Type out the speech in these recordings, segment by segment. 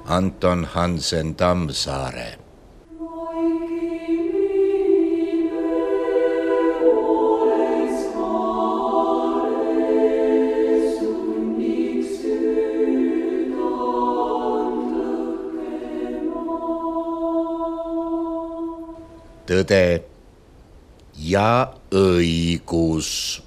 Anton Hansen Tammsaare. Tõde ja õigus.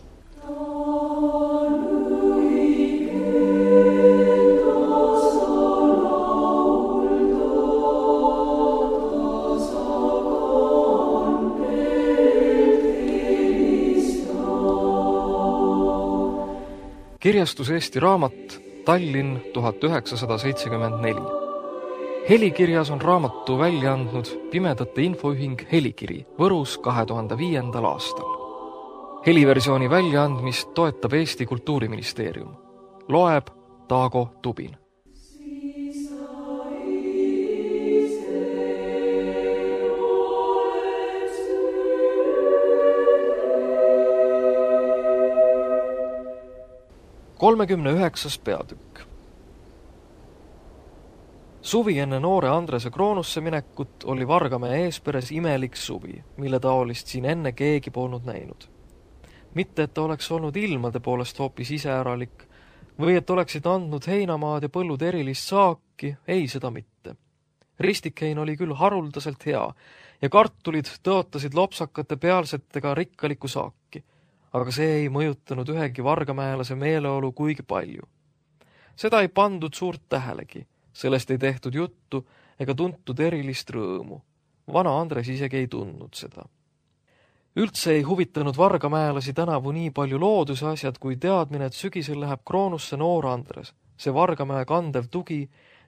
Kirjastus Eesti Raamat, Tallinn 1974. Helikirjas on raamatu välja andnud Pimedate Infoühing Helikiri Võrus 2005. aastal. Heliversiooni väljaandmist toetab Eesti Kultuuriministeerium. Loeb Taago Tubin. Kolmekümne 9. peatükk. Suvi enne noore Andrese Kroonusse minekut oli Vargamäe eesperes imelik suvi, mille taolist siin enne keegi polnud näinud. Mitte, et ta oleks olnud ilmade poolest hoopis iseäralik või et oleksid andnud heinamaad ja põllud erilist saaki, ei seda mitte. Ristikhein oli küll haruldaselt hea ja kartulid tõotasid lopsakate pealsetega rikkalikku saaki, aga see ei mõjutanud ühegi vargamäelase meeleolu kuigi palju. Seda ei pandud suurt tähelegi, sellest ei tehtud juttu ega tuntud erilist rõõmu. Vana Andres isegi ei tundnud seda. Üldse ei huvitanud vargamäelasi tänavu nii palju looduse asjad kui teadmine, et sügisel läheb Kroonusse noor Andres, see Vargamäe kandev tugi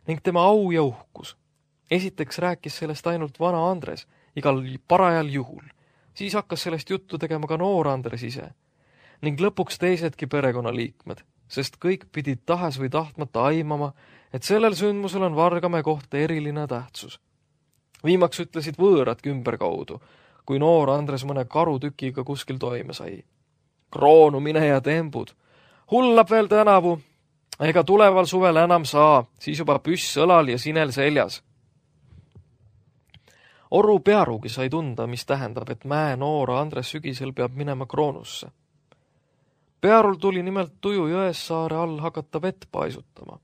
ning tema au ja uhkus. Esiteks rääkis sellest ainult vana Andres, igal parajal juhul. Siis hakkas sellest juttu tegema ka noor Andres ise ning lõpuks teisedki perekonnaliikmed, sest kõik pidid tahes või tahtmata aimama, et sellel sündmusel on Vargamäe kohta eriline tähtsus. Viimaks ütlesid võõrad kümberkaudu, kui noor Andres mõne karutükiga kuskil toime sai. Kroonu mine ja tembud. Hullab veel tänavu, ega tuleval suvel enam saa, siis juba püss õlal ja sinel seljas. Oru Pearugi sai tunda, mis tähendab, et mäe noora Andres sügisel peab minema Kroonusse. Pearul tuli nimelt Tuju Jõessaare all hakata vett paisutama.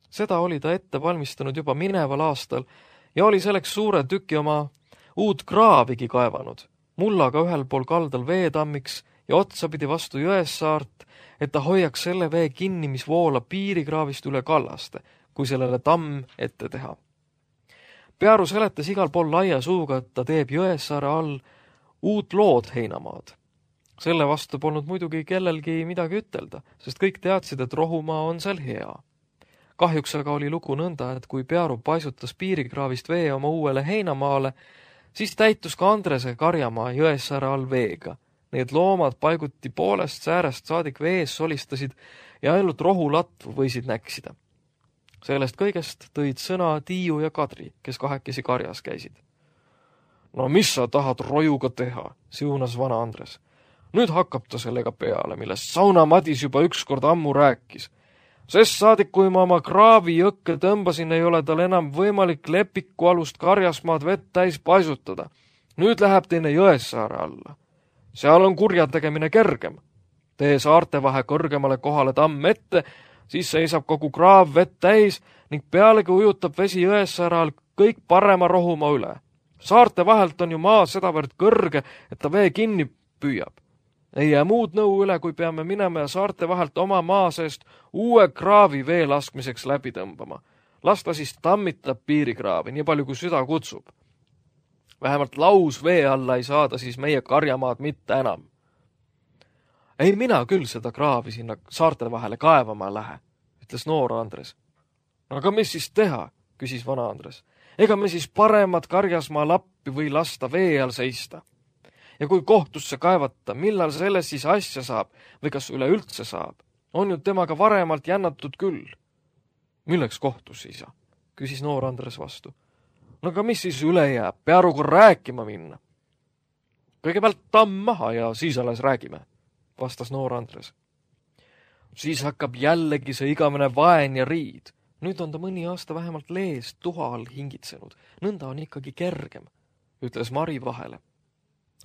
Seda oli ta ette valmistanud juba mineval aastal ja oli selleks suure tüki oma uut kraavigi kaevanud, mullaga ühel pool kaldal veetammiks ja otsapidi vastu Jõessaart, et ta hoiaks selle vee kinni, mis voolab piirikraavist üle kallaste, kui sellele tamm ette teha. Pearu seletas igal pool laia suuga, et ta teeb Jõessaare all uut lood heinamaad. Selle vastu polnud muidugi kellelgi midagi ütelda, sest kõik teadsid, et rohumaa on seal hea. Kahjuks aga oli lugu nõnda, et kui Pearu paisutas piirikraavist vee oma uuele heinamaale, siis täitus ka Andrese karjamaa Jõessaare all veega. Need loomad paiguti poolest säärest saadik vees solistasid ja ainult rohulatvu võisid näksida. Sellest kõigest tõid sõna Tiiu ja Kadri, kes kahekesi karjas käisid. No mis sa tahad rojuga teha, siunas vana Andres. Nüüd hakkab ta sellega peale, millest Sauna Madis juba ükskord ammu rääkis. Sest saadik, kui ma oma kraavi jõkke tõmbasin, ei ole tal enam võimalik Lepiku alust karjasmaad vett täis paisutada. Nüüd läheb teine Jõessaare alla. Seal on kurjategemine kergem. Tee saarte vahe kõrgemale kohale tamm ette, siis seisab kogu kraav vett täis ning pealegi ujutab vesi Jõessaare all kõik parema rohumaa üle. Saarte vahelt on ju maa sedavõrd kõrge, et ta vee kinni püüab. Ei jää muud nõu üle, kui peame minema ja saarte vahelt oma maa seest uue kraavi vee laskmiseks läbi tõmbama. Las ta siis tammitab piirikraavi, nii palju kui süda kutsub. Vähemalt laus vee alla ei saada siis meie karjamaad mitte enam. Ei mina küll seda kraavi sinna saarte vahele kaevama lähe, ütles noor Andres. Aga mis siis teha, küsis vana Andres. Ega me siis paremat karjasmaa lappi või lasta vee all seista. Ja kui kohtusse kaevata, millal selles siis asja saab või kas üleüldse saab, on ju temaga varemalt jännatud küll. Milleks kohtus, isa? Küsis noor Andres vastu. No aga mis siis üle jääb, Pearuga rääkima minna? Kõigepealt tamm maha ja siis alles räägime, vastas noor Andres. Siis hakkab jällegi see igavene vaen ja riid. Nüüd on ta mõni aasta vähemalt lees tuha all hingitsenud. Nõnda on ikkagi kergem, ütles Mari vahele.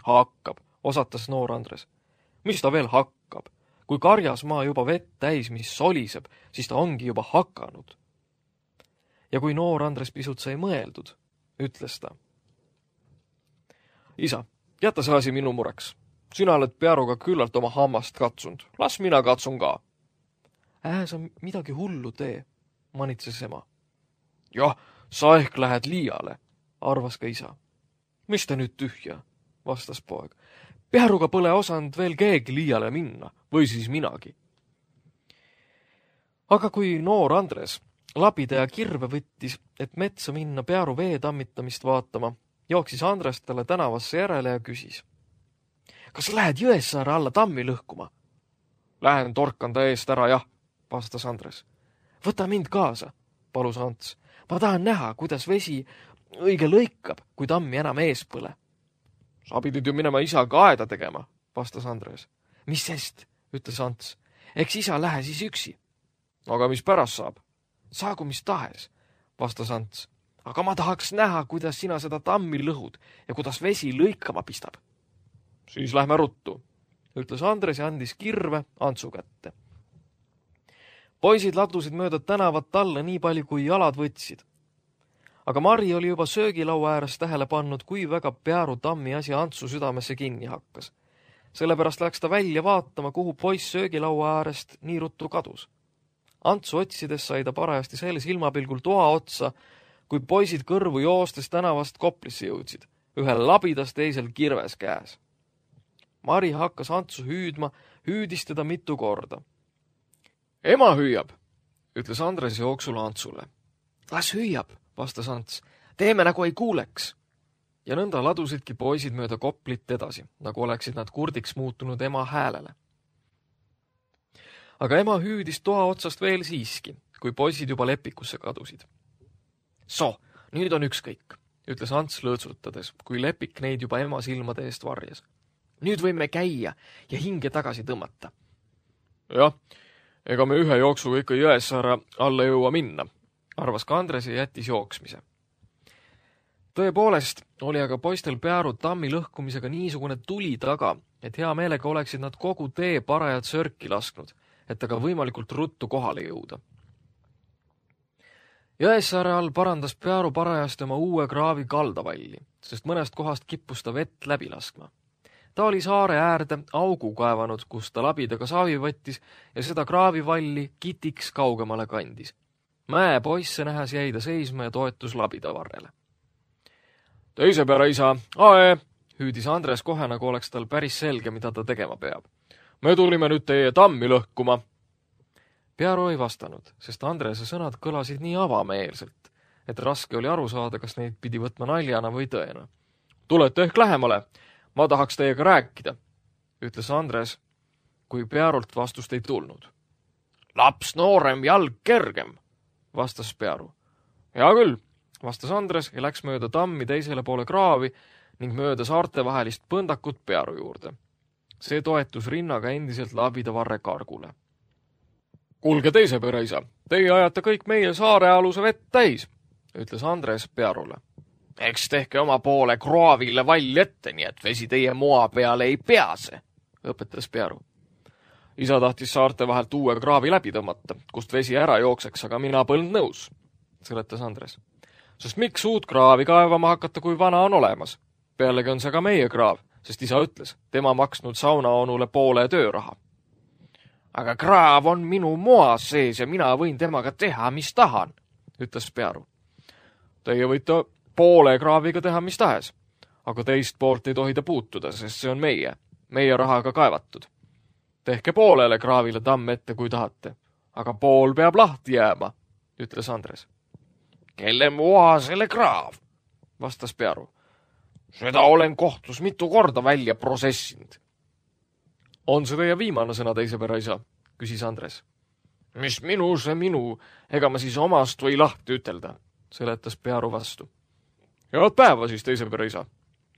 Hakkab, osatas noor Andres. Mis ta veel hakkab? Kui karjas maa juba vett täis, mis soliseb, siis ta ongi juba hakanud. Ja kui noor Andres pisut sai mõeldud, ütles ta. Isa, jäta see asi minu mureks. Sina oled Pearuga küllalt oma hammast katsunud. Las mina katsun ka. Sa midagi hullu tee, manitses ema. Jah, sa ehk lähed liiale, arvas ka isa. Mis ta nüüd tühja, vastas poeg. Pearuga pole osanud veel keegi liiale minna, või siis minagi. Aga kui noor Andres labida ja kirve võttis, et metsa minna Pearu vee tammitamist vaatama, jooksis Andres talle tänavasse järele ja küsis. Kas lähed Jõessaare alla tammi lõhkuma? Lähen torkan ta eest ära, jah, vastas Andres. Võta mind kaasa, palus Ants. Ma tahan näha, kuidas vesi õige lõikab, kui tammi enam ees põle. Sa pidid ju minema isaga aeda tegema, vastas Andres. Mis sest, ütles Ants. Eks isa lähe siis üksi. Aga mis pärast saab? Saagu mis tahes, vastas Ants. Aga ma tahaks näha, kuidas sina seda tammi lõhud ja kuidas vesi lõikama pistab. Siis lähme ruttu, ütles Andres ja andis kirve Antsu kätte. Poisid ladusid mööda tänavat alla nii palju, kui jalad võtsid. Aga Mari oli juba söögilaua ääres tähele pannud, kui väga Pearu tammi asi Antsu südamesse kinni hakkas. Sellepärast läks ta välja vaatama, kuhu poiss söögilaua äärest nii ruttu kadus. Antsu otsides sai ta parajasti selles ilmapilgul toa otsa, kui poisid kõrvu joostes tänavast Koplisse jõudsid, ühel labidas teisel kirves käes. Mari hakkas Antsu hüüdma, hüüdis teda mitu korda. Ema hüüab, ütles Andres jooksul Antsule. Las hüüab, vastas Ants. Teeme nagu ei kuuleks. Ja nõnda ladusidki poisid mööda Koplit edasi, nagu oleksid nad kurdiks muutunud ema häälele. Aga ema hüüdis toa otsast veel siiski, kui poisid juba lepikusse kadusid. Nüüd on ükskõik, ütles Ants lõõtsutades, kui lepik neid juba ema silmade eest varjas. Nüüd võime käia ja hinge tagasi tõmmata. Jah, ega me ühe jooksuga ikka Jõessaare alla jõua minna, arvas ka Andres ja jättis jooksmise. Tõepoolest oli aga poistel Pearu tammi lõhkumisega niisugune tuli taga, et hea meelega oleksid nad kogu tee parajad sörki lasknud, et aga võimalikult ruttu kohale jõuda. Jõessaare all parandas Pearu parajasti oma uue kraavi kaldavalli, sest mõnest kohast kippus ta vett läbi laskma. Ta oli saare äärde augu kaevanud, kus ta labidaga saavi võttis ja seda kraavivalli kitiks kaugemale kandis. Mäe poisse nähes jäi ta seisma ja toetus labida varrele. Teise peale isa, hüüdis Andres kohe, nagu oleks tal päris selge, mida ta tegema peab. Me tulime nüüd teie tammi lõhkuma. Pearu ei vastanud, sest Andrese sõnad kõlasid nii avameelselt, et raske oli aru saada, kas neid pidi võtma naljana või tõena. Tulete ehk lähemale, ma tahaks teiega rääkida, ütles Andres, kui Pearult vastust ei tulnud. Laps noorem, jalg kergem, vastas Pearu. Hea küll, vastas Andres ja läks mööda tammi teisele poole kraavi ning mööda saarte vahelist põndakut Pearu juurde. See toetus rinnaga endiselt labida varre kargule. Kuulge teise pere isa, teie ajate kõik meie saarealuse vett täis, ütles Andres Pearule. Eks tehke oma poole kraavile vall ette, nii et vesi teie moa peale ei pease, õpetas Pearu. Isa tahtis saarte vahelt uue kraavi läbi tõmmata, kust vesi ära jookseks, aga mina polnud nõus, seletas Andres. Sest miks uut kraavi kaevama hakata, kui vana on olemas? Pealegi on see ka meie kraav, sest isa ütles, tema maksnud saunaonule poole tööraha. Aga kraav on minu moas sees ja mina võin temaga teha, mis tahan, ütles Pearu. Teie võite poole kraaviga teha, mis tahes, aga teist poolt ei tohi ta puutuda, sest see on meie rahaga kaevatud. Tehke poolele kraavile tamm ette, kui tahate, aga pool peab lahti jääma, ütles Andres. Kelle moa selle kraav, vastas Pearu. Seda olen kohtus mitu korda välja prosessinud. On see teie viimane sõna teise pere isa, küsis Andres. Mis minu, see minu, ega ma siis omast või lahti ütelda, seletas Pearu vastu. Head päeva siis teise pere isa,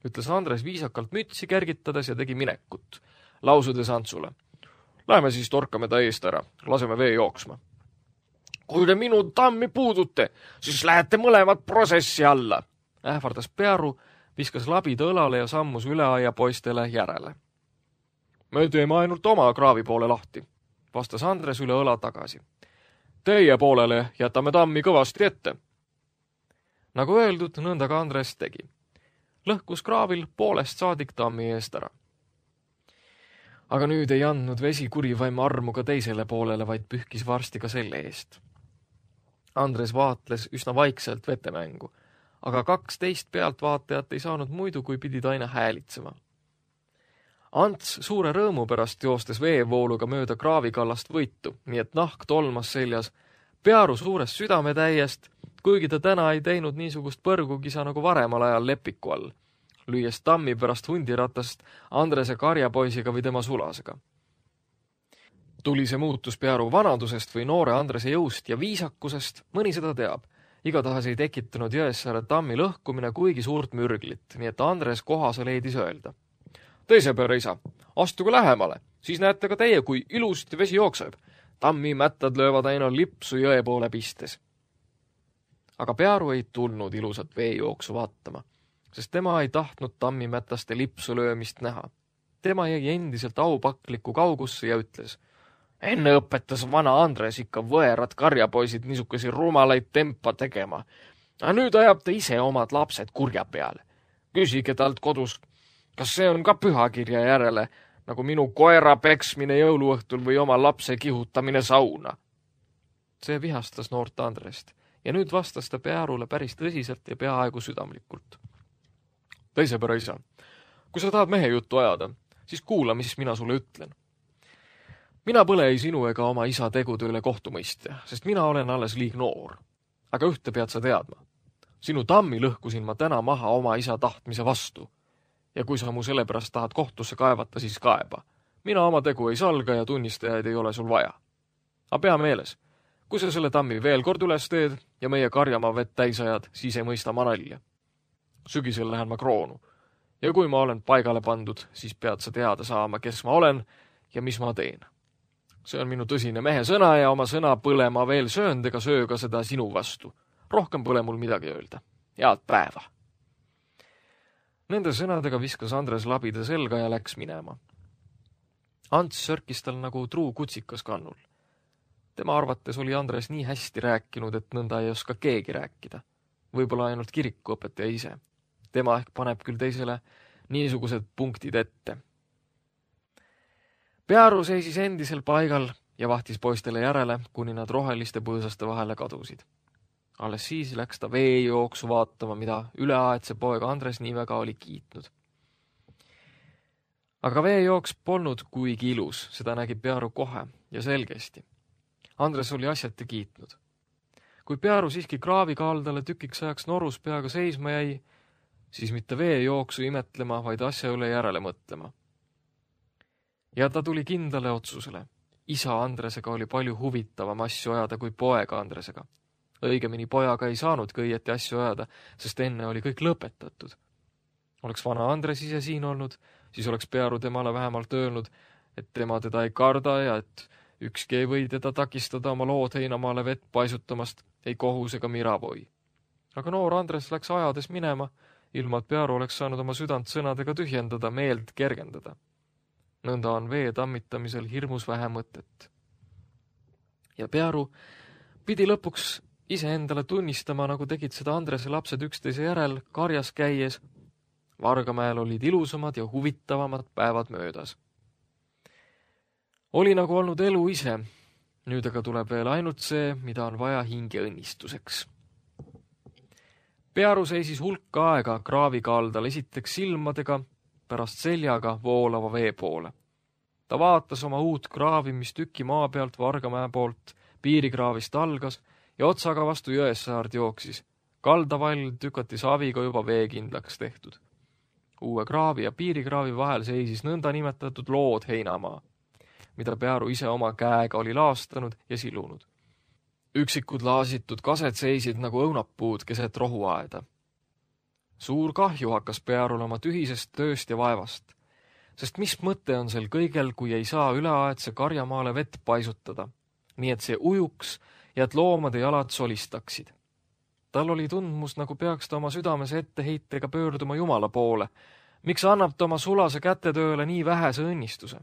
ütles Andres viisakalt mütsi kergitades ja tegi minekut, lausudes Antsule. Läheme siis torkame ta eest ära, laseme vee jooksma. Kui te minu tammi puudute, siis lähete mõlemad protsessi alla, ähvardas Pearu, viskas labid õlale ja sammus üle aia poistele järele. Me teeme ainult oma kraavi poole lahti, vastas Andres üle õla tagasi. Teie poolele jätame tammi kõvasti ette. Nagu öeldud, nõnda ka Andres tegi. Lõhkus kraavil poolest saadik tammi eest ära. Aga nüüd ei andnud vesi kurivaim armu ka teisele poolele, vaid pühkis varsti ka selle eest. Andres vaatles üsna vaikselt vetemängu, aga 12 pealtvaatajat ei saanud muidu, kui pidid aina häälitsema. Ants suure rõõmu pärast joostes veevooluga mööda kraavikallast võitu, nii et nahk tolmas seljas, Pearu suurest südametäiest, kuigi ta täna ei teinud niisugust põrgukisa nagu varemal ajal Lepiku all, lüües tammi pärast hundiratast Andrese karjapoisiga või tema sulasega. Tuli see muutus Pearu vanadusest või noore Andrese jõust ja viisakusest, mõni seda teab. Igatahes ei tekitanud Jõessaare tammi lõhkumine kuigi suurt mürglit, nii et Andres kohase leidis öelda. Teise pere isa, astuge lähemale, siis näete ka teie, kui ilusti vesi jookseb. Tammi mättad löövad aina lipsu jõe poole pistes. Aga Pearu ei tulnud ilusat veejooksu vaatama, sest tema ei tahtnud tammi mätaste lipsu löömist näha. Tema jäi endiselt aupakliku kaugusse ja ütles, enne õpetas vana Andres ikka võerad karjapoisid niisuguse rumalaid tempa tegema. Aga nüüd ajab ta ise omad lapsed kurja peale. Küsige talt kodus, kas see on ka pühakirja järele, nagu minu koera peksmine jõuluõhtul või oma lapse kihutamine sauna. See vihastas noort Andrest ja nüüd vastas ta Pearule päris tõsiselt ja peaaegu südamlikult. Teise pere isa, kui sa tahad mehe juttu ajada, siis kuula, mis mina sulle ütlen. Mina pole ei sinu ega oma isa tegude üle kohtumõistja, sest mina olen alles liig noor. Aga ühte pead sa teadma. Sinu tammi lõhkusin ma täna maha oma isa tahtmise vastu. Ja kui sa mu sellepärast tahad kohtusse kaevata, siis kaeba. Mina oma tegu ei salga ja tunnistajaid ei ole sul vaja. Aga pea meeles, kui sa selle tammi veel kord üles teed ja meie karjamaa vett täis ajad, siis ei mõista ma nalja. Sügisel lähen ma kroonu. Ja kui ma olen paigale pandud, siis pead sa teada saama, kes ma olen ja mis ma teen. See on minu tõsine mehe sõna ja oma sõna põle ma veel sööndega sööga seda sinu vastu. Rohkem pole mul midagi öelda. Head päeva! Nende sõnadega viskas Andres labida selga ja läks minema. Ants sörkis tal nagu truu kutsikas kannul. Tema arvates oli Andres nii hästi rääkinud, et nõnda ei oska keegi rääkida. Võib-olla ainult kirikuõpetaja ise. Tema ehk paneb küll teisele niisugused punktid ette. Pearu seisis endisel paigal ja vahtis poistele järele, kuni nad roheliste põõsaste vahele kadusid. Alles siis läks ta veejooksu vaatama, mida üleaetse poeg Andres nii väga oli kiitnud. Aga veejooks polnud kuigi ilus, seda nägi Pearu kohe ja selgesti. Andres oli asjati kiitnud. Kui Pearu siiski kraavi kaldale tükiks ajaks norus peaga seisma jäi, siis mitte veejooksu imetlema, vaid asja üle järele mõtlema. Ja ta tuli kindlale otsusele. Isa Andresega oli palju huvitavam asju ajada kui poega Andresega. Õigemini pojaga ei saanudki õieti asju ajada, sest enne oli kõik lõpetatud. Oleks vana Andres ise siin olnud, siis oleks Pearu temale vähemalt öelnud, et tema teda ei karda ja et ükski ei või teda takistada oma lood heinamaale vett paisutamast, ei kohus ega miravoi. Aga noor Andres läks ajades minema, ilma et Pearu oleks saanud oma südant sõnadega tühjendada, meelt kergendada. Nõnda on vee tammitamisel hirmus vähe mõtet. Ja Pearu pidi lõpuks ise endale tunnistama, nagu tegid seda Andrese lapsed üksteise järel karjas käies. Vargamäel olid ilusamad ja huvitavamad päevad möödas. Oli nagu olnud elu ise, nüüd aga tuleb veel ainult see, mida on vaja hinge õnnistuseks. Pearu seisis hulka aega kraavi kaldal esiteks silmadega, pärast seljaga voolava vee poole. Ta vaatas oma uut kraavi, mis tüki maa pealt Vargamäe poolt piirikraavist algas ja otsaga vastu Jõessaart jooksis. Kaldavall tükati saviga juba veekindlaks tehtud. Uue kraavi ja piirikraavi vahel seisis nõnda nimetatud lood heinamaa, mida Pearu ise oma käega oli laastanud ja silunud. Üksikud laasitud kased seisid nagu õunapuud keset rohuaeda. Suur kahju hakkas Pearul oma tühisest tööst ja vaevast, sest mis mõte on sel kõigel, kui ei saa üleaetse karjamaale vett paisutada, nii et see ujuks ja et loomade jalad solistaksid. Tal oli tundmus, nagu peaks ta oma südames etteheitega pöörduma Jumala poole. Miks annab ta oma sulase kätetööle nii vähese õnnistuse?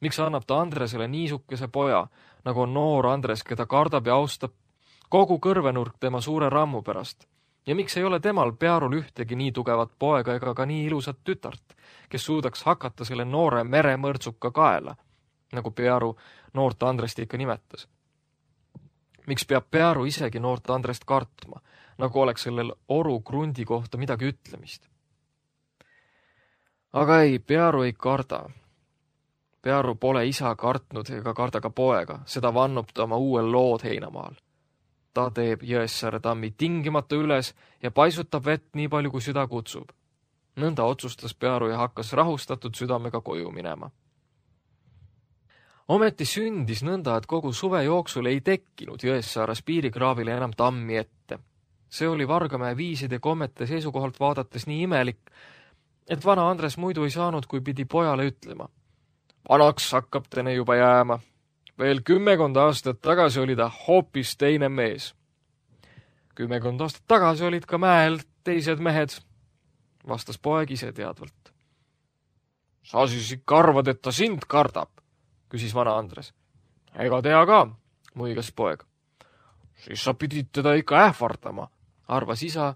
Miks annab ta Andresele niisukese poja, nagu on noor Andres, keda kardab ja austab kogu kõrvenurk tema suure rammu pärast? Ja miks ei ole temal Pearul ühtegi nii tugevat poega ega ka nii ilusat tütart, kes suudaks hakata selle noore meremõrtsuka kaela, nagu Pearu noort Andrest ikka nimetas? Miks peab Pearu isegi noort Andrest kartma, nagu oleks sellel oru krundi kohta midagi ütlemist? Aga ei, Pearu ei karda. Pearu pole isa kartnud ega karda ka poega, seda vannub ta oma uuel lood heinamaal. Ta teeb Jõessaare tammi tingimata üles ja paisutab vett nii palju, kui süda kutsub. Nõnda otsustas Pearu ja hakkas rahustatud südamega koju minema. Ometi sündis nõnda, et kogu suve jooksul ei tekkinud Jõessaares piirikraavile enam tammi ette. See oli Vargamäe viiside kommete seisukohalt vaadates nii imelik, et vana Andres muidu ei saanud, kui pidi pojale ütlema. Vanaks hakkab tene juba jääma. Veel 10 aastat tagasi oli ta hoopis teine mees. 10 aastat tagasi olid ka mäel teised mehed, vastas poeg ise teadvalt. Sa siis ikka arvad, et ta sind kardab, küsis vana Andres. Ega tea ka, muigas poeg. Siis sa pidid teda ikka ähvardama, arvas isa,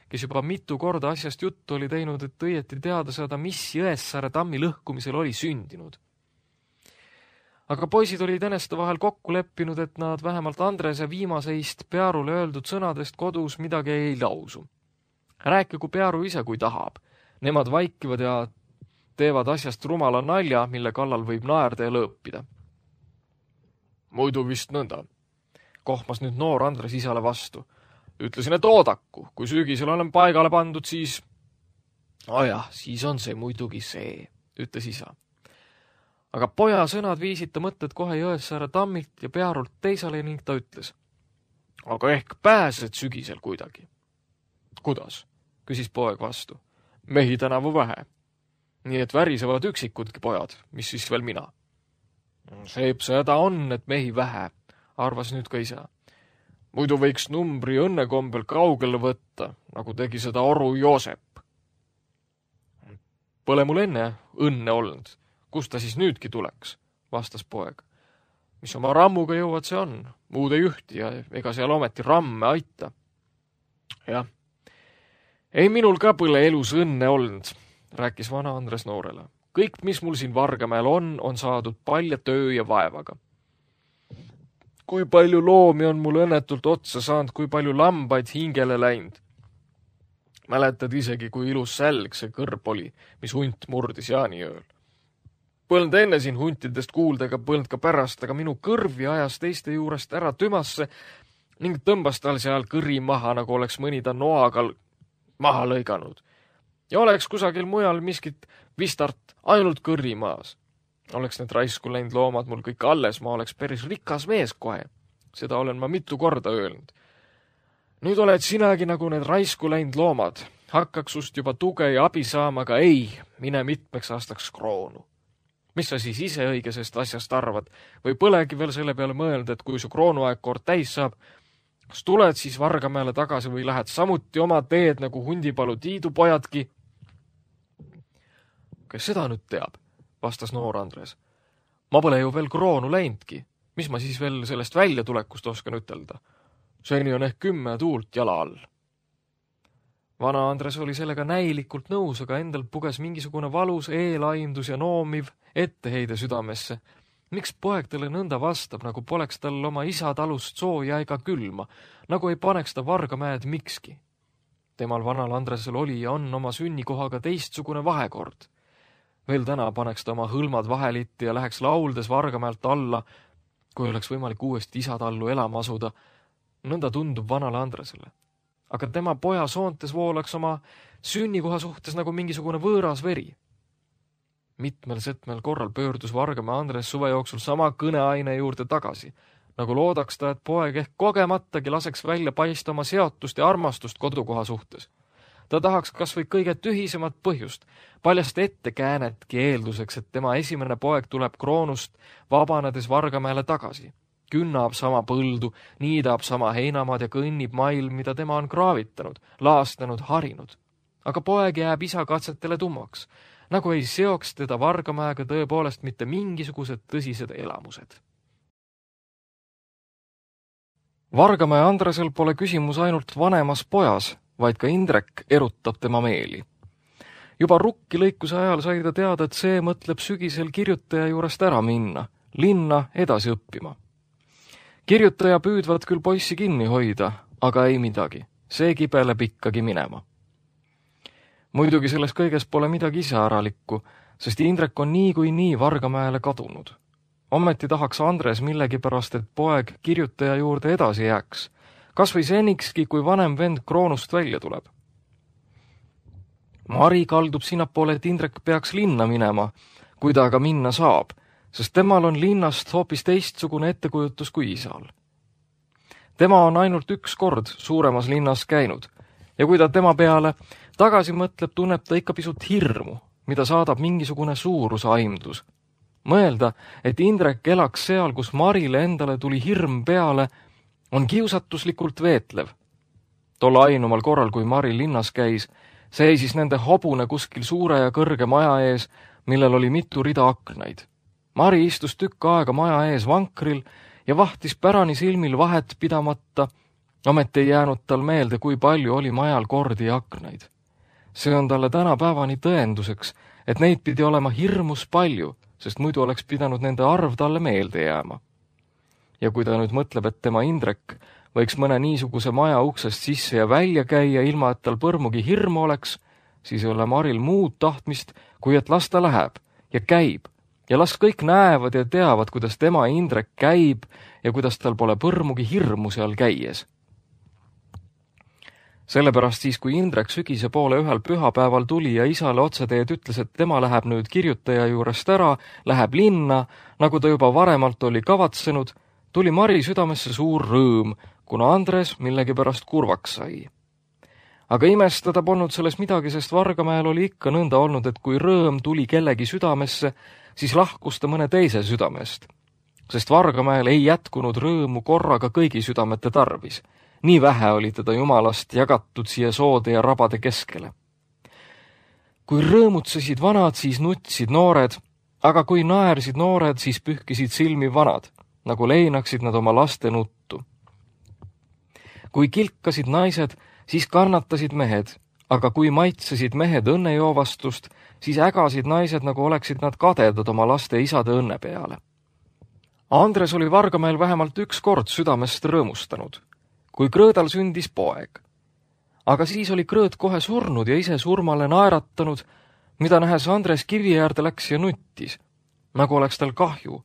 kes juba mitu korda asjast juttu oli teinud, et õieti teada saada, mis Jõessaare tammi lõhkumisel oli sündinud. Aga poisid olid eneste vahel kokku leppinud, et nad vähemalt Andrese viimaseist Pearule öeldud sõnadest kodus midagi ei lausu. Rääkigu Pearu ise, kui tahab. Nemad vaikivad ja teevad asjast rumala nalja, mille kallal võib naerda ja lõõpida. Muidu vist nõnda, kohmas nüüd noor Andres isale vastu. Ütlesin, et oodaku, kui sügisel olen paigale pandud, siis... Ajah, siis on see muidugi see, ütles isa. Aga poja sõnad viisid ta mõtted kohe Jõessaare tammilt ja Pearult teisale ning ta ütles. Aga ehk pääsed sügisel kuidagi. Kuidas? Küsis poeg vastu. Mehi tänavu vähe. Nii et värisevad üksikudki pojad, mis siis veel mina. Seeb seda on, et mehi vähe, arvas nüüd ka isa. Muidu võiks numbri õnnekombel kaugele võtta, nagu tegi seda oru Joosep. Pole mul enne õnne olnud. Kus ta siis nüüdki tuleks, vastas poeg. Mis oma rammuga jõuad, see on. Muud ei ühti ja ega seal ometi ramme aita. Jah. Ei minul ka põle elus õnne olnud, rääkis vana Andres noorele. Kõik, mis mul siin Vargamäel on saadud palja töö ja vaevaga. Kui palju loomi on mul õnnetult otsa saanud, kui palju lambaid hingele läinud. Mäletad isegi, kui ilus sälg see kõrb oli, mis hunt murdis jaaniööl. Põlnud enne siin huntidest kuulda ega põlnud ka pärast, aga minu kõrvi ajas teiste juurest ära tümasse ning tõmbas tal seal kõri maha, nagu oleks mõni ta noaga maha lõiganud. Ja oleks kusagil mujal miskit vistart ainult kõri maas. Oleks need raisku läinud loomad mul kõik alles, ma oleks päris rikas mees kohe. Seda olen ma mitu korda öelnud. Nüüd oled sinagi nagu need raisku läinud loomad. Hakkaks sust juba tuge ja abi saama, aga ei, mine mitmeks aastaks kroonu. Mis sa siis ise õigesest asjast arvad? Või põlegi veel selle peale mõelda, et kui su kroonuaeg kord täis saab, kas tuled siis Vargamäele tagasi või lähed samuti oma teed nagu Hundipalu Tiidu pojadki? Kes seda nüüd teab, vastas noor Andres. Ma pole ju veel kroonu läinudki. Mis ma siis veel sellest väljatulekust oskan ütelda? Seni on ehk 10 tuult jala all. Vana Andres oli sellega näilikult nõus, aga endal puges mingisugune valus eelaimdus ja noomiv etteheide südamesse. Miks poeg talle nõnda vastab, nagu poleks tal oma isa talust sooja ega külma, nagu ei paneks ta Vargamäed mikski? Temal vanal Andresel oli ja on oma sünnikohaga teistsugune vahekord. Veel täna paneks ta oma hõlmad vahelitti ja läheks lauldes Vargamäelt alla, kui oleks võimalik uuesti isatallu elama asuda. Nõnda tundub vanale Andresele. Aga tema poja soontes voolaks oma sünnikoha suhtes nagu mingisugune võõras veri. Mitmel korral pöördus Vargamäe Andres suve jooksul sama kõneaine juurde tagasi, nagu loodaks ta, et poeg ehk kogematagi laseks välja paista oma seotust ja armastust kodukoha suhtes. Ta tahaks kas või kõige tühisemat põhjust, paljast ettekäänetki eelduseks, et tema esimene poeg tuleb kroonust vabanedes Vargamäele tagasi. künnab sama põldu, niidab sama heinamaad ja kõnnib mail, mida tema on kraavitanud, laastanud, harinud. Aga poeg jääb isa katsetele tummaks, nagu ei seoks teda Vargamäega tõepoolest mitte mingisugused tõsised elamused. Vargamäe Andresel pole küsimus ainult vanemas pojas, vaid ka Indrek erutab tema meeli. Juba rukki lõikuse ajal sai ta teada, et see mõtleb sügisel kirjutaja juurest ära minna, linna edasi õppima. Kirjutaja püüdvad küll poissi kinni hoida, aga ei midagi, see kibeleb ikkagi minema. Muidugi selles kõiges pole midagi iseäralikku, sest Indrek on nii kui nii Vargamäele kadunud. Ometi tahaks Andres millegipärast, et poeg kirjutaja juurde edasi jääks, kas või senikski, kui vanem vend Kroonust välja tuleb. Mari kaldub sinnapoole, et Indrek peaks linna minema, kui ta aga minna saab, sest temal on linnast hoopis teistsugune ettekujutus kui isal. Tema on ainult üks kord suuremas linnas käinud ja kui ta tema peale tagasi mõtleb, tunneb ta ikka pisut hirmu, mida saadab mingisugune suurusaimdus. Mõelda, et Indrek elaks seal, kus Marile endale tuli hirm peale, on kiusatuslikult veetlev. Tol ainumal korral, kui Mari linnas käis, seisis nende hobune kuskil suure ja kõrge maja ees, millel oli mitu rida aknaid. Mari istus tükk aega maja ees vankril ja vahtis pärani silmil vahet pidamata, ometi ei jäänud tal meelde, kui palju oli majal kordi ja aknaid. See on talle tänapäevani tõenduseks, et neid pidi olema hirmus palju, sest muidu oleks pidanud nende arv talle meelde jääma. Ja kui ta nüüd mõtleb, et tema Indrek võiks mõne niisuguse maja uksest sisse ja välja käia, ilma et tal põrmugi hirmu oleks, siis ei ole Maril muud tahtmist, kui et las ta läheb ja käib ja las kõik näevad ja teavad, kuidas tema Indrek käib ja kuidas tal pole põrmugi hirmu seal käies. Sellepärast siis, kui Indrek sügise poole ühel pühapäeval tuli ja isale otseteed ütles, et tema läheb nüüd kirjutaja juurest ära, läheb linna, nagu ta juba varemalt oli kavatsenud, tuli Mari südamesse suur rõõm, kuna Andres millegipärast kurvaks sai. Aga imestada polnud selles midagi, sest Vargamäel oli ikka nõnda olnud, et kui rõõm tuli kellegi südamesse, siis lahkus ta mõne teise südamest. Sest Vargamäel ei jätkunud rõõmu korraga kõigi südamete tarvis. Nii vähe oli teda Jumalast jagatud siia soode ja rabade keskele. Kui rõõmutsesid vanad, siis nutsid noored, aga kui naersid noored, siis pühkisid silmi vanad, nagu leinaksid nad oma laste nuttu. Kui kilkasid naised, siis kannatasid mehed, aga kui maitsesid mehed õnnejoovastust, siis ägasid naised, nagu oleksid nad kadedad oma laste isade õnne peale. Andres oli Vargamäel vähemalt üks kord südamest rõõmustanud, kui Krõõdal sündis poeg. Aga siis oli Krõõd kohe surnud ja ise surmale naeratanud, mida nähes Andres kivi äärde läks ja nuttis, nagu oleks tal kahju,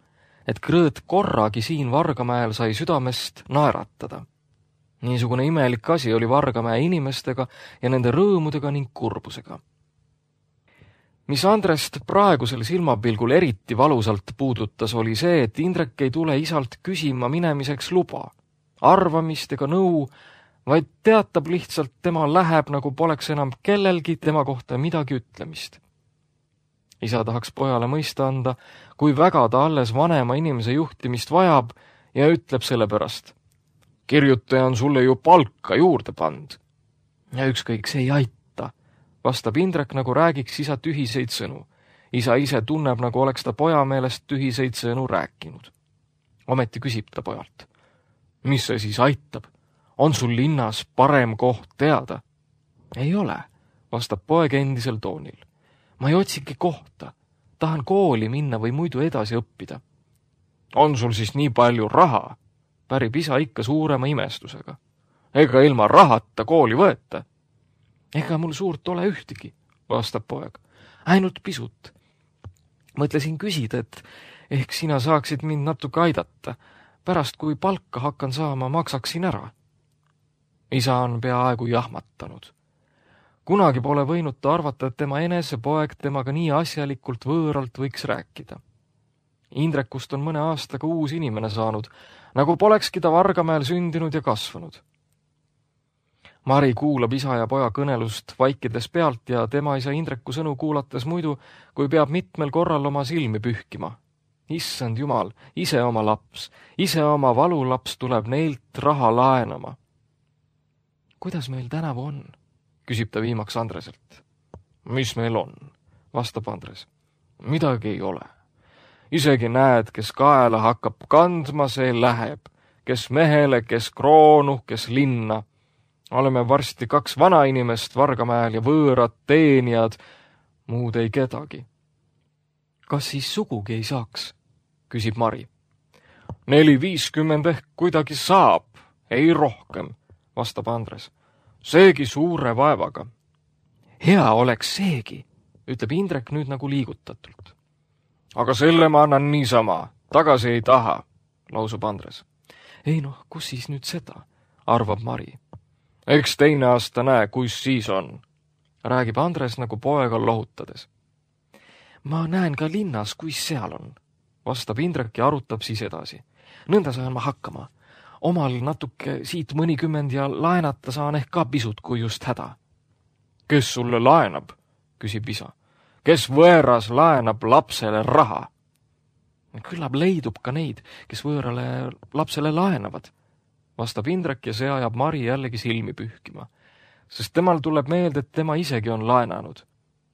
et Krõõd korragi siin Vargamäel sai südamest naeratada. Niisugune imelik asi oli Vargamäe inimestega ja nende rõõmudega ning kurbusega. Mis Andrest praegusel silmapilgul eriti valusalt puudutas, oli see, et Indrek ei tule isalt küsima minemiseks luba, arvamist ega nõu, vaid teatab lihtsalt, tema läheb, nagu poleks enam kellelgi tema kohta midagi ütlemist. Isa tahaks pojale mõista anda, kui väga ta alles vanema inimese juhtimist vajab ja ütleb selle pärast. Kirjutaja on sulle ju palka juurde pand. Ja ükskõik, see ei aita, vastab Indrek, nagu räägiks isa tühiseid sõnu. Isa ise tunneb, nagu oleks ta poja meelest tühiseid sõnu rääkinud. Ometi küsib ta pojalt. Mis see siis aitab? On sul linnas parem koht teada? Ei ole, vastab poeg endisel toonil. Ma ei otsigi kohta. Tahan kooli minna või muidu edasi õppida. On sul siis nii palju raha? Pärib isa ikka suurema imestusega. Ega ilma rahata kooli võeta? Ega mul suurt ole ühtegi, vastab poeg. Ainult pisut. Mõtlesin küsida, et ehk sina saaksid mind natuke aidata. Pärast, kui palka hakkan saama, maksaksin ära. Isa on peaaegu jahmatanud. Kunagi pole võinud ta arvata, et tema enese poeg temaga nii asjalikult võõralt võiks rääkida. Indrekust on mõne aastaga uus inimene saanud, nagu polekski ta Vargamäel sündinud ja kasvanud. Mari kuulab isa ja poja kõnelust vaikides pealt ja tema isa Indreku sõnu kuulates muidu, kui peab mitmel korral oma silmi pühkima. Issand jumal, ise oma laps, ise oma valulaps tuleb neilt raha laenama. Kuidas meil tänavu on? Küsib ta viimaks Andreselt. Mis meil on? Vastab Andres. Midagi ei ole. Isegi näed, kes kaela hakkab kandma, see läheb. Kes mehele, kes kroonu, kes linna. Oleme varsti 2 vanainimest Vargamäel ja võõrad teenijad, muud ei kedagi. Kas siis sugugi ei saaks? Küsib Mari. 4-50 ehk kuidagi saab, ei rohkem, vastab Andres. Seegi suure vaevaga. Hea oleks seegi, ütleb Indrek nüüd nagu liigutatult. Aga selle ma annan niisama, tagasi ei taha, lausub Andres. Ei noh, kus siis nüüd seda, arvab Mari. Eks teine aasta näe, kus siis on, räägib Andres nagu poega lohutades. Ma näen ka linnas, kuis seal on, vastab Indrek ja arutab siis edasi. Nõnda saan ma hakkama. Omal natuke siit mõnikümmend ja laenata saan ehk ka pisut, kui just häda. Kes sulle laenab, küsib isa. Kes võõras laenab lapsele raha? Küllap leidub ka neid, kes võõrale lapsele laenavad, vastab Indrek ja see ajab Mari jällegi silmi pühkima, sest temal tuleb meelde, et tema isegi on laenanud.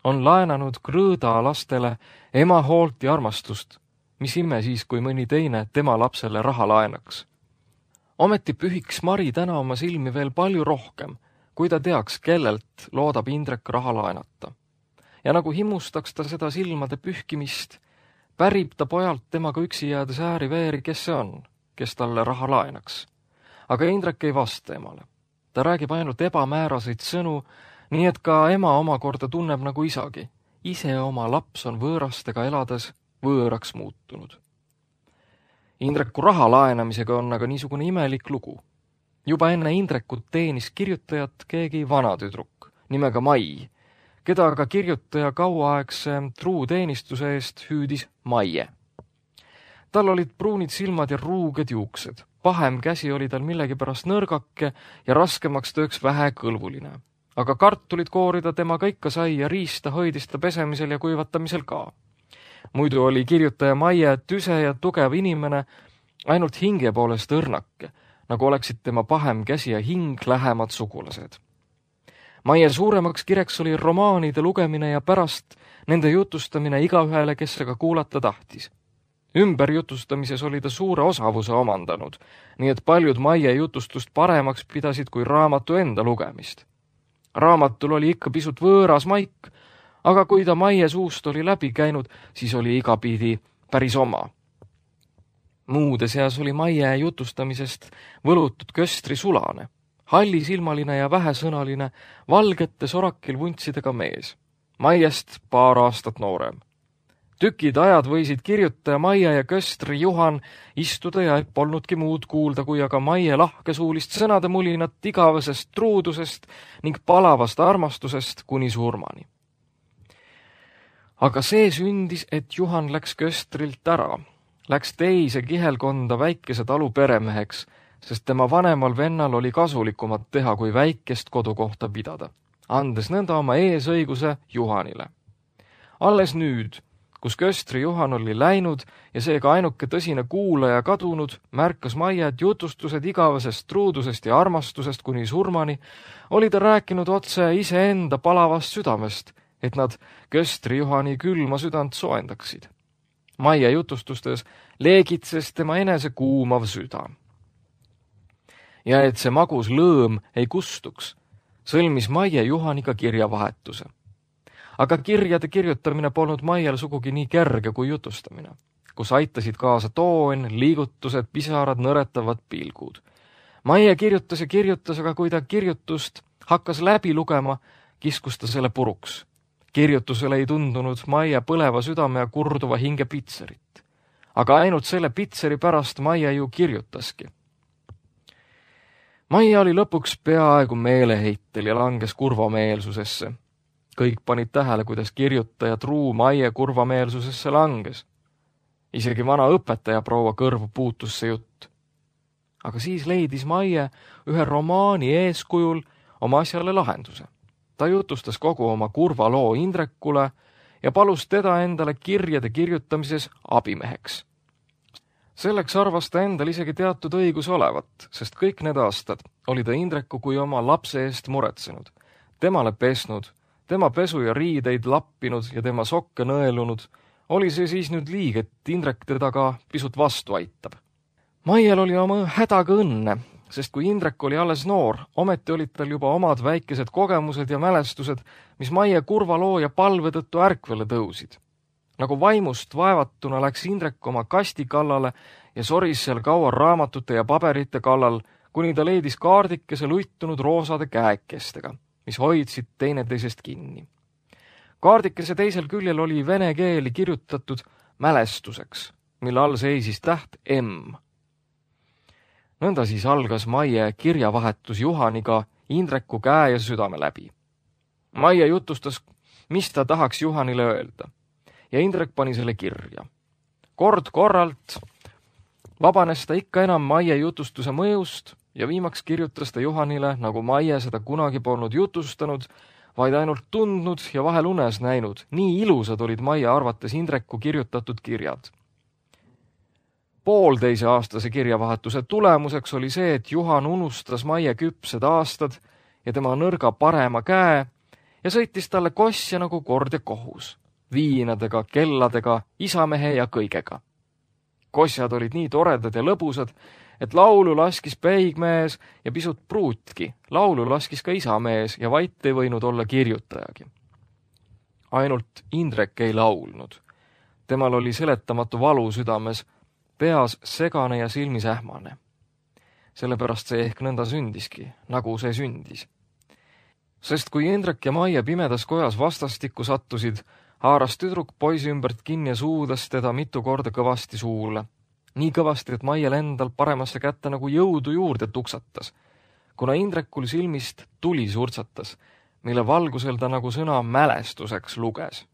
On laenanud krõõda lastele ema hoolt ja armastust, mis ime siis, kui mõni teine tema lapsele raha laenaks. Ometi pühiks Mari täna oma silmi veel palju rohkem, kui ta teaks, kellelt loodab Indrek raha laenata. Ja nagu himustaks ta seda silmade pühkimist, pärib ta pojalt temaga üksi jäädes ääri-veeri, kes see on, kes talle raha laenaks. Aga Indrek ei vasta emale. Ta räägib ainult ebamääraseid sõnu, nii et ka ema omakorda tunneb nagu isagi. Ise oma laps on võõrastega elades võõraks muutunud. Indreku raha laenamisega on aga niisugune imelik lugu. Juba enne Indrekut teenis kirjutajat keegi vanatüdruk nimega Mai, keda aga kirjutaja kauaaegse truuteenistuse eest hüüdis Maie. Tal olid pruunid silmad ja ruuged juuksed. Pahem käsi oli tal millegipärast nõrgake ja raskemaks tööks vähe kõlvuline. Aga kartulid koorida temaga ikka sai ja riista hoidis ta pesemisel ja kuivatamisel ka. Muidu oli kirjutaja Maie tüse ja tugev inimene, ainult hinge poolest õrnake, nagu oleksid tema pahem käsi ja hing lähemad sugulased. Maie suuremaks kireks oli romaanide lugemine ja pärast nende jutustamine igaühele, kes seda kuulata tahtis. Ümberjutustamises oli ta suure osavuse omandanud, nii et paljud Maie jutustust paremaks pidasid kui raamatu enda lugemist. Raamatul oli ikka pisut võõras maik, aga kui ta Maie suust oli läbi käinud, siis oli igapidi päris oma. Muude seas oli Maie jutustamisest võlutud köstri sulane, hallisilmaline ja vähesõnaline, valgete sorakil vuntsidega mees. Maiest 2 aastat noorem. Tükid ajad võisid kirjutaja Maie ja köstri Juhan istuda ja polnudki muud kuulda, kui aga Maie lahkesuulist sõnade mulinat igavesest truudusest ning palavast armastusest kuni surmani. Aga see sündis, et Juhan läks köstrilt ära, läks teise kihelkonda väikese talu peremeheks, sest tema vanemal vennal oli kasulikumat teha, kui väikest kodukohta pidada, andes nõnda oma eesõiguse Juhanile. Alles nüüd, kus köstri Juhan oli läinud ja seega ainuke tõsine kuulaja kadunud, märkas Maie, et jutustused igavesest truudusest ja armastusest kuni surmani oli ta rääkinud otse iseenda palavast südamest, et nad köstri Juhani külma südant soendaksid. Maie jutustustes leegitses tema enese kuumav süda. Ja et see magus lõõm ei kustuks, sõlmis Maie Juhaniga kirjavahetuse. Aga kirjade kirjutamine polnud Maiel sugugi nii kerge kui jutustamine, kus aitasid kaasa toon, liigutused, pisarad, nõretavad pilgud. Maie kirjutas ja kirjutas, aga kui ta kirjutust hakkas läbi lugema, kiskus ta selle puruks. Kirjutusele ei tundunud Maie põleva südame ja kurduva hinge pitserit. Aga ainult selle pitseri pärast Maie ju kirjutaski. Maie oli lõpuks peaaegu meeleheitel ja langes kurvameelsusesse. Kõik panid tähele, kuidas kirjutaja truu Maie kurvameelsusesse langes. Isegi vana õpetaja proua kõrvu puutus see jutt. Aga siis leidis Maie ühe romaani eeskujul oma asjale lahenduse. Ta jutustas kogu oma kurva loo Indrekule ja palus teda endale kirjade kirjutamises abimeheks. Selleks arvas ta endal isegi teatud õigus olevat, sest kõik need aastad oli ta Indreku kui oma lapse eest muretsenud, temale pesnud, tema pesu ja riideid lappinud ja tema sokke nõelunud. Oli see siis nüüd liig, et Indrek teda ka pisut vastu aitab. Maiel oli oma hädaga õnne, sest kui Indrek oli alles noor, ometi olid tal juba omad väikesed kogemused ja mälestused, mis Maie kurva loo ja palve tõttu ärkvele tõusid. Nagu vaimust vaevatuna läks Indrek oma kasti kallale ja soris seal kaua raamatute ja paberite kallal, kuni ta leidis kaardikese luitunud roosade käekestega, mis hoidsid teineteisest kinni. Kaardikese teisel küljel oli vene keeli kirjutatud mälestuseks, mille all seisis täht M. Nõnda siis algas Maie kirjavahetus Juhaniga Indreku käe ja südame läbi. Maie jutustas, mis ta tahaks Juhanile öelda, ja Indrek pani selle kirja. Kord korralt vabanes ta ikka enam Maie jutustuse mõjust ja viimaks kirjutas ta Juhanile, nagu Maie seda kunagi polnud jutustanud, vaid ainult tundnud ja vahel unes näinud. Nii ilusad olid Maie arvates Indreku kirjutatud kirjad. Poolteise aastase kirjavahetuse tulemuseks oli see, et Juhan unustas Maie küpsed aastad ja tema nõrga parema käe ja sõitis talle kossja nagu kord ja kohus, viinadega, kelladega, isamehe ja kõigega. Kossjad olid nii toredad ja lõbusad, et laulu laskis peigmees ja pisut pruutki. Laulu laskis ka isamees ja vait ei võinud olla kirjutajagi. Ainult Indrek ei laulnud. Temal oli seletamatu valu südames, peas segane ja silmis ähmane. Sellepärast see ehk nõnda sündiski, nagu see sündis. Sest kui Indrek ja Maie pimedas kojas vastastikku sattusid, haaras tüdruk poisi ümbert kinni ja suudas teda mitu korda kõvasti suule. Nii kõvasti, et Maiel endal paremasse kätte nagu jõudu juurde tuksatas, kuna Indrekul silmist tuli surtsatas, mille valgusel ta nagu sõna mälestuseks luges.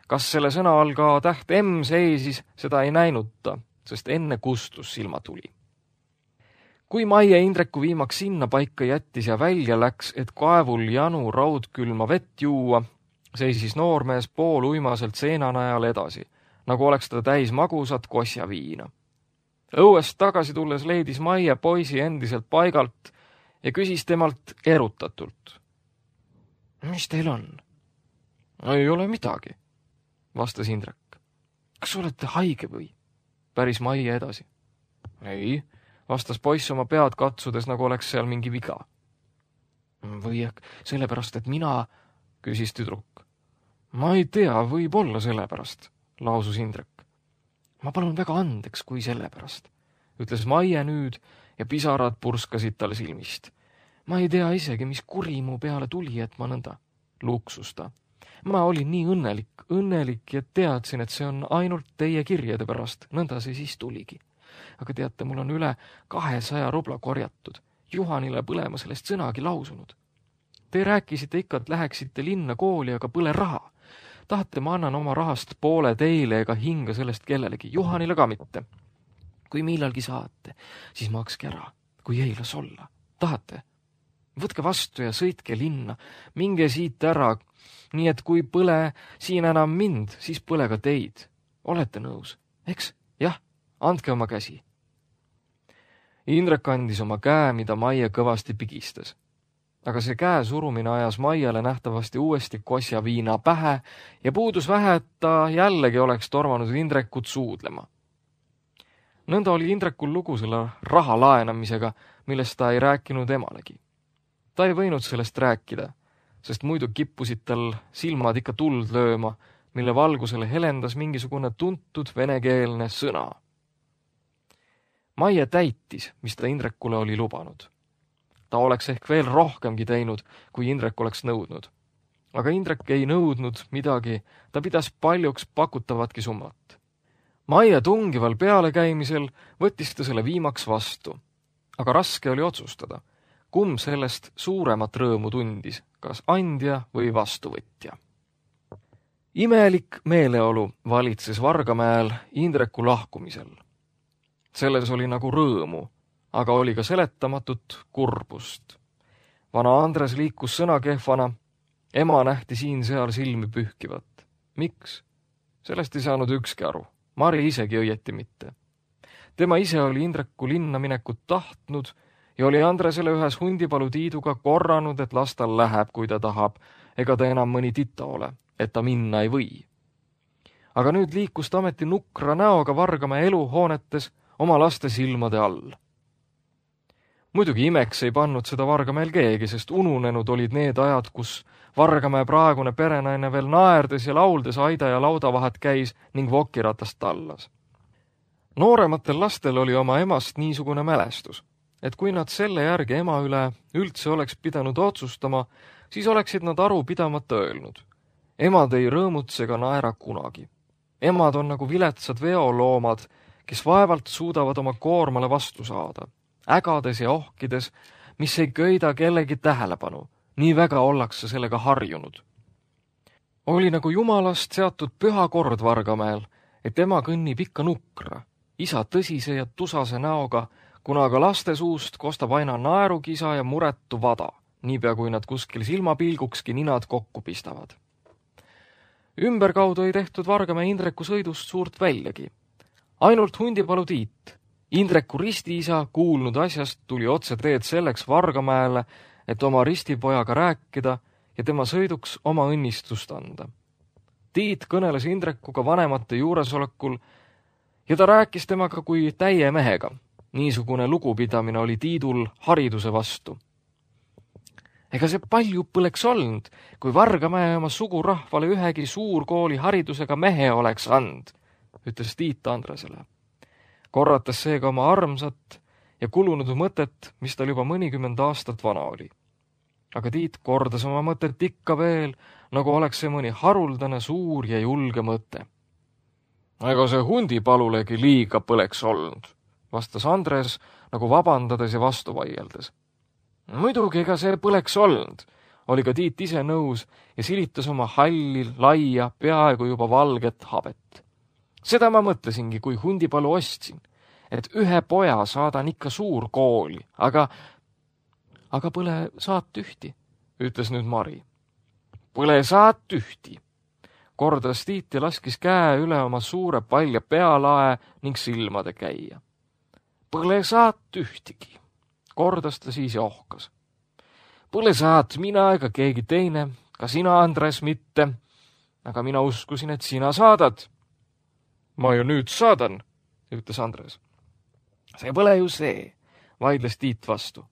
Kas selle sõna all ka täht M seisis, seda ei näinud ta, sest enne kustus silmatuli. Kui Maie Indreku viimaks sinna paika jättis ja välja läks, et kaevul janu raudkülma vett juua, seisis noormees pool uimaselt seenanajal edasi, nagu oleks ta täis magusat kosja viina. Õuest tagasi tulles leidis Maie poisi endiselt paigalt ja küsis temalt erutatult. Mis teil on? Ei ole midagi, vastas Indrek. Kas olete haige või? Päris Maie edasi. Ei, vastas poiss oma pead katsudes, nagu oleks seal mingi viga. Või sellepärast, et mina, küsis tüdruk. Ma ei tea, võib olla sellepärast, lausus Indrek. Ma palun väga andeks, kui sellepärast, ütles Maie nüüd ja pisarad purskasid tal silmist. Ma ei tea isegi, mis kuri mu peale tuli, et ma nõnda luksusta. Ma olin nii õnnelik ja teadsin, et see on ainult teie kirjade pärast, nõnda see siis tuligi. Aga teate, mul on üle 200 rubla korjatud, Juhanile põlema sellest sõnagi lausunud. Te rääkisite ikka, et läheksite linna kooli, aga põle raha. Tahate, ma annan oma rahast poole teile ega hinga sellest kellelegi, Juhanile ka mitte. Kui millalgi saate, siis makske ära, kui ei las olla. Tahate? Võtke vastu ja sõitke linna, minge siit ära, nii et kui põle siin enam mind, siis põle ka teid. Olete nõus? Eks? Jah, andke oma käsi. Indrek andis oma käe, mida Maie kõvasti pigistas. Aga see käe surumine ajas Maiele nähtavasti uuesti kosja viina pähe ja puudus vähe, et ta jällegi oleks tormanud Indrekut suudlema. Nõnda oli Indrekul lugu selle raha laenamisega, millest ta ei rääkinud emalegi. Ta ei võinud sellest rääkida, sest muidu kippusid tal silmad ikka tuld lööma, mille valgusele helendas mingisugune tuntud venekeelne sõna. Maie täitis, mis ta Indrekule oli lubanud. Ta oleks ehk veel rohkemgi teinud, kui Indrek oleks nõudnud. Aga Indrek ei nõudnud midagi, ta pidas paljuks pakutavatki summat. Maie tungival pealekäimisel võttis ta selle viimaks vastu, aga raske oli otsustada, kumb sellest suuremat rõõmu tundis, kas andja või vastuvõtja. Imelik meeleolu valitses Vargamäel Indreku lahkumisel. Selles oli nagu rõõmu, aga oli ka seletamatut kurbust. Vana Andres liikus sõnakehvana, ema nähti siin-seal silmi pühkivat. Miks? Sellest ei saanud ükski aru. Mari isegi õieti mitte. Tema ise oli Indreku linna minekut tahtnud ja oli Andresele ühes Hundipalu Tiiduga korranud, et las tal läheb, kui ta tahab, ega ta enam mõni tita ole, et ta minna ei või. Aga nüüd liikus ta ameti nukra näoga Vargamäe eluhoonetes oma laste silmade all. Muidugi imeks ei pannud seda Vargamäel keegi, sest ununenud olid need ajad, kus Vargamäe praegune perenaine veel naerdes ja lauldes aida ja lauda vahet käis ning vokiratast tallas. Noorematel lastel oli oma emast niisugune mälestus, et kui nad selle järgi ema üle üldse oleks pidanud otsustama, siis oleksid nad aru pidamata öelnud. Emad ei rõõmutse ega naera kunagi. Emad on nagu viletsad veoloomad, kes vaevalt suudavad oma koormale vastu saada, ägades ja ohkides, mis ei köida kellegi tähelepanu, nii väga ollakse sellega harjunud. Oli nagu jumalast seatud püha kord Vargamäel, et ema kõnnib ikka nukra, isa tõsise ja tusase näoga, kuna aga laste suust kostab aina naerukisa ja muretu vada, niipea kui nad kuskil silmapilgukski ninad kokku pistavad. Ümberkaudu ei tehtud Vargamäe Indreku sõidust suurt väljagi. Ainult Hundipalu Tiit, Indreku ristiisa, kuulnud asjast, tuli otse teed selleks Vargamäele, et oma ristipojaga rääkida ja tema sõiduks oma õnnistust anda. Tiit kõneles Indrekuga vanemate juuresolekul ja ta rääkis temaga kui täie mehega. Niisugune lugupidamine oli Tiidul hariduse vastu. Ega see palju põleks olnud, kui Vargamäe oma sugurahvale ühegi suurkooli haridusega mehe oleks and, ütles Tiit Andresele. Korrates seega oma armsat ja kulunud mõtet, mis tal juba mõnikümmend aastat vana oli. Aga Tiit kordas oma mõtet ikka veel, nagu oleks see mõni haruldane suur ja julge mõte. Ega see Hundipalulegi liiga põleks olnud, vastas Andres nagu vabandades ja vastu vaieldes. Muidugi ega see põleks olnud, oli ka Tiit ise nõus ja silitas oma halli, laia, peaaegu juba valget habet. Seda ma mõtlesingi, kui Hundipalu ostsin, et ühe poja saadan ikka suur kooli, aga põle saad tühti, ütles nüüd Mari. Põle saad tühti, kordas Tiit ja laskis käe üle oma suure palja pealae ning silmade käia. Põle saad tühtigi, kordas ta siis ja ohkas. Põle saad mina ega keegi teine, ka sina, Andres, mitte, aga mina uskusin, et sina saadad. Ma ju nüüd saadan, ütles Andres. See pole ju see, vaidles Tiit vastu.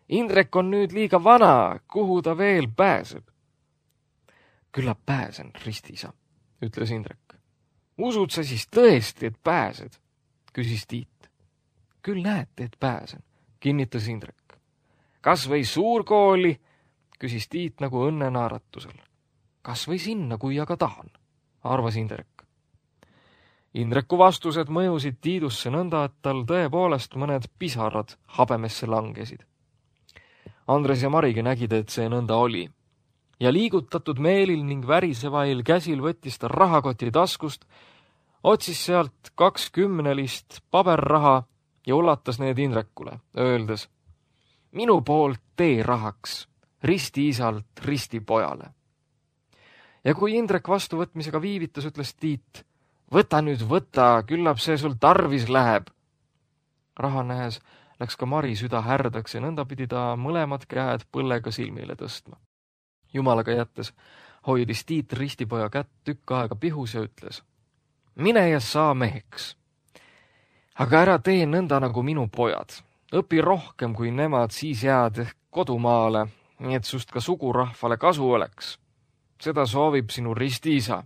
Indrek on nüüd liiga vana, kuhu ta veel pääseb? Küllap pääsen, ristiisa, ütles Indrek. Usud sa siis tõesti, et pääsed? Küsis Tiit. Küll näete, et pääsen, kinnitas Indrek. Kas või suurkooli? Küsis Tiit nagu õnne naeratusel. Kas või sinna, kui aga tahan, arvas Indrek. Indreku vastused mõjusid Tiidusse nõnda, et tal tõepoolest mõned pisarad habemesse langesid. Andres ja Marigi nägid, et see nõnda oli. Ja liigutatud meelil ning värisevail käsil võttis ta rahakoti taskust, otsis sealt 20 paberraha ja ulatas need Indrekule, öeldes, minu poolt tee rahaks, ristiisalt ristipojale. Ja kui Indrek vastuvõtmisega viivitas, ütles Tiit, võta nüüd, küllap see sul tarvis läheb. Raha nähes läks ka Mari süda härdaks ja nõnda pidi ta mõlemad käed põllega silmile tõstma. Jumalaga jättes hoidis Tiit ristipoja kätt tükk aega pihus ja ütles, mine ja saa meheks. Aga ära tee nõnda nagu minu pojad. Õpi rohkem kui nemad, siis jääd ehk kodumaale, nii et sust ka sugurahvale kasu oleks. Seda soovib sinu ristiisa.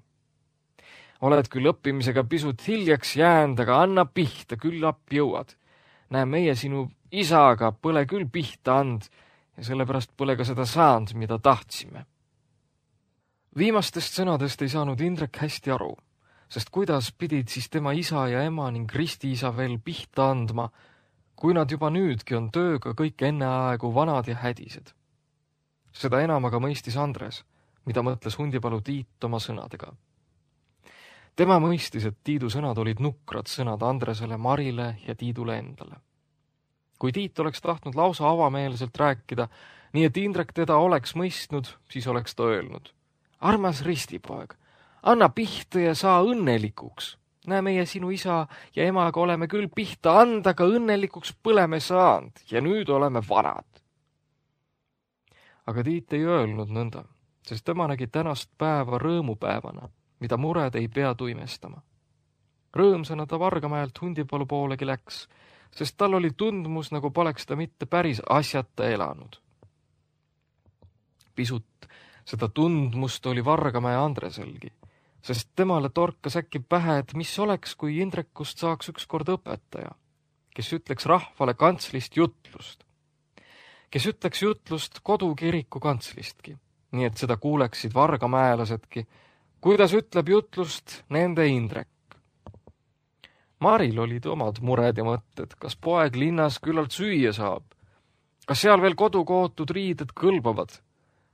Oled küll õppimisega pisut hiljaks jäänud, aga anna pihta, küllap jõuad. Näe, meie sinu isaga põle küll pihta and ja sellepärast põle ka seda saanud, mida tahtsime. Viimastest sõnadest ei saanud Indrek hästi aru, sest kuidas pidid siis tema isa ja ema ning ristiisa veel pihta andma, kui nad juba nüüdki on tööga kõik enneaegu vanad ja hädised. Seda enam aga mõistis Andres, mida mõtles Hundipalu Tiit oma sõnadega. Tema mõistis, et Tiidu sõnad olid nukrad sõnad Andresele, Marile ja Tiidule endale. Kui Tiit oleks tahtnud lausa avameelselt rääkida, nii et Indrek teda oleks mõistnud, siis oleks ta öelnud. Armas ristipoeg, Anna pihta ja saa õnnelikuks. Näe, meie sinu isa ja emaga oleme küll pihta anda, aga õnnelikuks põleme saanud ja nüüd oleme vanad. Aga Tiit ei öelnud nõnda, sest tema nägi tänast päeva rõõmupäevana, mida mured ei pea tuimestama. Rõõmsana ta Vargamäelt Hundipalu poolegi läks, sest tal oli tundmus, nagu poleks ta mitte päris asjata elanud. Pisut seda tundmust oli Vargamäe Andreselgi, sest temale torkas äkki pähe, et mis oleks, kui Indrekust saaks ükskord õpetaja, kes ütleks rahvale kantslist jutlust, kes ütleks jutlust kodukiriku kantslistki, nii et seda kuuleksid vargamäelasedki, kuidas ütleb jutlust nende Indrek. Maril olid omad mured ja mõtted, kas poeg linnas küllalt süüa saab, kas seal veel kodukootud riided kõlbavad,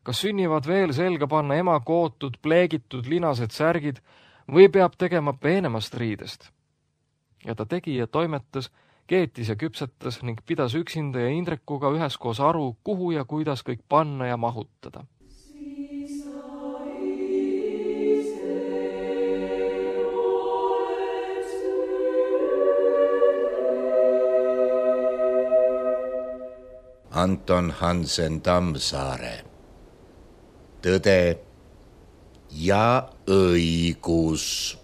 kas sünnivad veel selga panna ema kootud, pleegitud linased särgid või peab tegema peenemast riidest. Ja ta tegi ja toimetas, keetis ja küpsetas ning pidas üksinda ja Indrekuga üheskoos aru, kuhu ja kuidas kõik panna ja mahutada. Anton Hansen Tammsaare. Tõde ja õigus.